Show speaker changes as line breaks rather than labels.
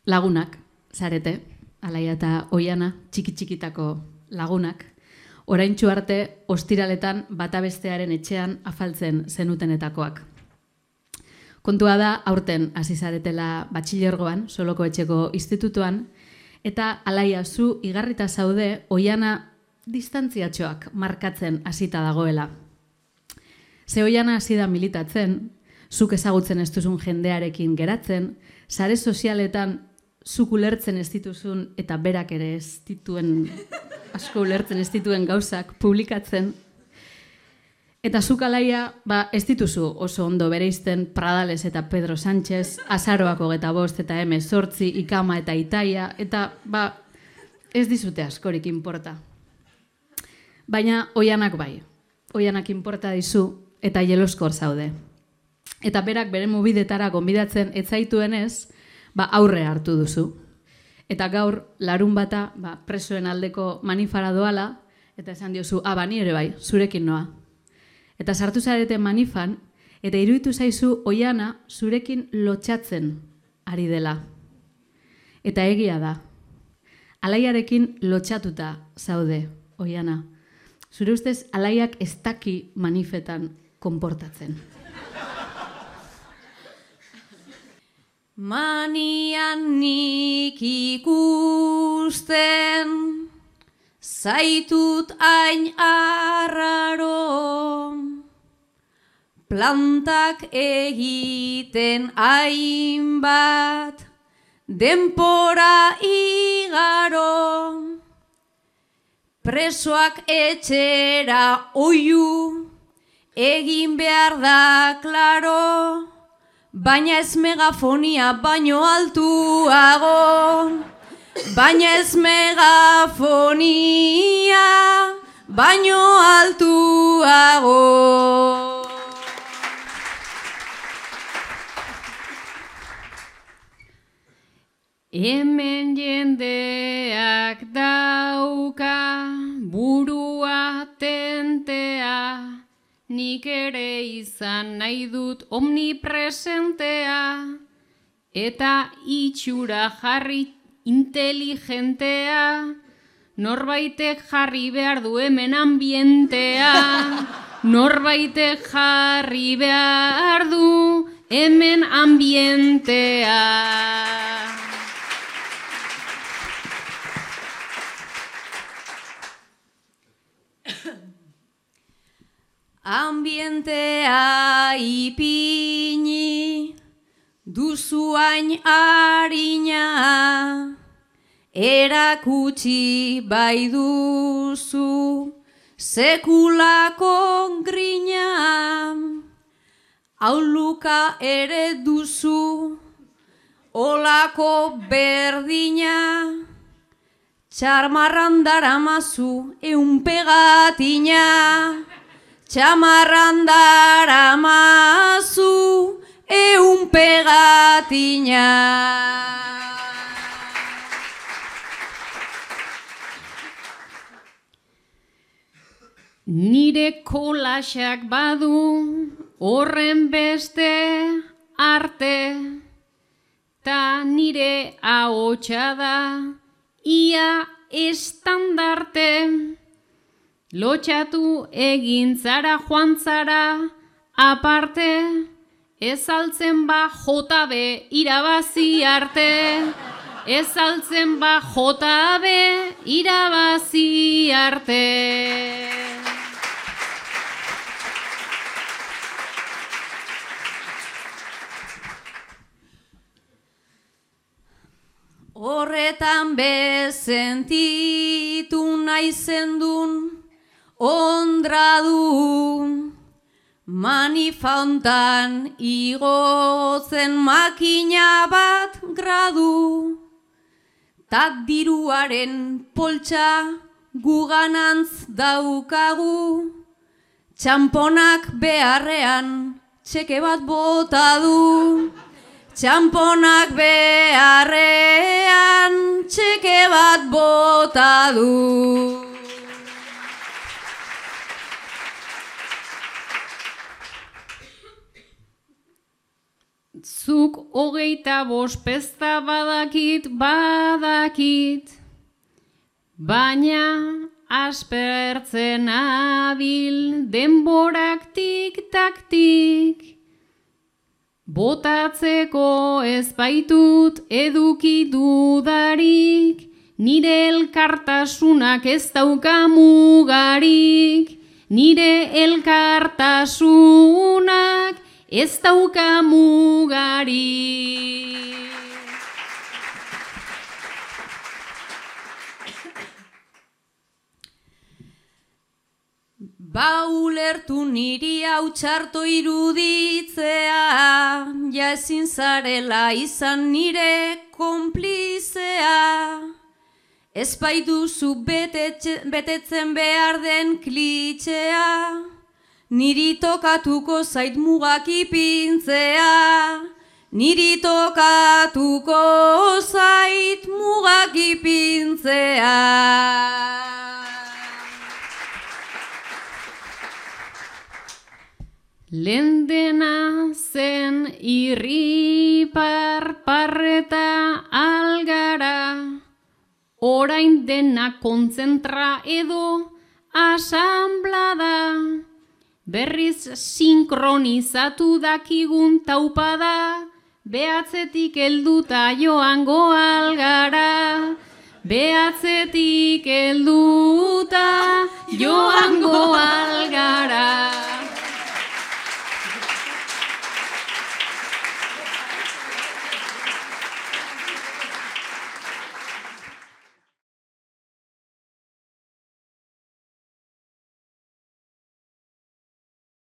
Lagunak, zarete, Alaia eta Oiana, txiki-txikitako lagunak, oraintsu arte ostiraletan bata bestearen etxean afaltzen zenutenetakoak. Kontua da, aurten hasi zaretela batxilergoan, Soloko etxeko institutuan, eta Alaia zu igarrita zaude Oiana distantziatxoak markatzen hasita dagoela. Ze Oiana hasi da militatzen, zuk ezagutzen ez duzun jendearekin geratzen, sare sozialetan zuk ulertzen ez dituzun eta berak ere ez dituen, asko ulertzen ez dituen gauzak publikatzen. Eta zuk Alaia, ez dituzu oso ondo bereizten Pradales eta Pedro Sánchez, Azaroak 25 eta M8, Ikama eta Itaia, eta ez dizute askorik inporta. Baina Oianak bai, Oianak inporta dizu eta jeloskor zaude. Eta berak bere mubidetara gonbidatzen etzaituenez, aurre hartu duzu. Eta gaur, larun bata, presoen aldeko manifara doala, eta esan diozu, ni ere bai, zurekin noa. Eta sartu zarete manifan, eta iruditu zaizu Oiana zurekin lotxatzen ari dela. Eta egia da, Alaiarekin lotxatuta zaude, Oiana. Zure ustez, Alaiak ez daki manifetan konportatzen.
Manian nik ikusten, zaitut hain arraro, plantak egiten hainbat, denpora igaro, presoak etxera oiu, egin behar da klaro, baina ez megafonia baino altuago, baina ez megafonia baino altuago.
Hemen jendeak dauka burua tentea, nik ere izan nahi dut omnipresentea, eta itxura jarri inteligentea, norbaitek jarri behar du hemen ambientea, norbaitek jarri behar du hemen ambientea.
Ambientea ipini, duzu hain harina, erakutsi bai duzu, sekulako grina, auluka ere duzu, olako berdina, txarmarran daramazu pegatina, txamarran daramazu pegatina.
Nire kolaxak badu horren beste arte, ta nire ahotsa da ia estandarte. Lotxatu egin zara joan zara aparte, ez altzen JB irabazi arte, ez altzen JB irabazi arte.
Horretan bezentitu naizendun ondradu, manifauntan igotzen makina bat gradu, tak diruaren poltsa guganantz daukagu, txamponak beharrean txeke bat bota du, txamponak beharrean txeke bat bota du.
Zuk 25 pezta badakit, baina aspertzen abil denborak tik-tak-tik. Botatzeko ez baitut eduki dudarik, nire elkartasunak ez dauka mugarik, nire elkartasunak ez dauka mugarik.
Ba ulertu niri hau txarto iruditzea, ja ezin zarela izan nire konplizea. Ez baituzu betetzen behar den klitxea, niri tokatuko zait mugak ipintzea. Niri tokatuko zait mugak ipintzea.
Lehen dena zen irripar parreta algara, orain dena kontzentra edo asanblada, berriz sinkronizatu dakigun taupada, behatzetik helduta joango algara, behatzetik helduta joango algara.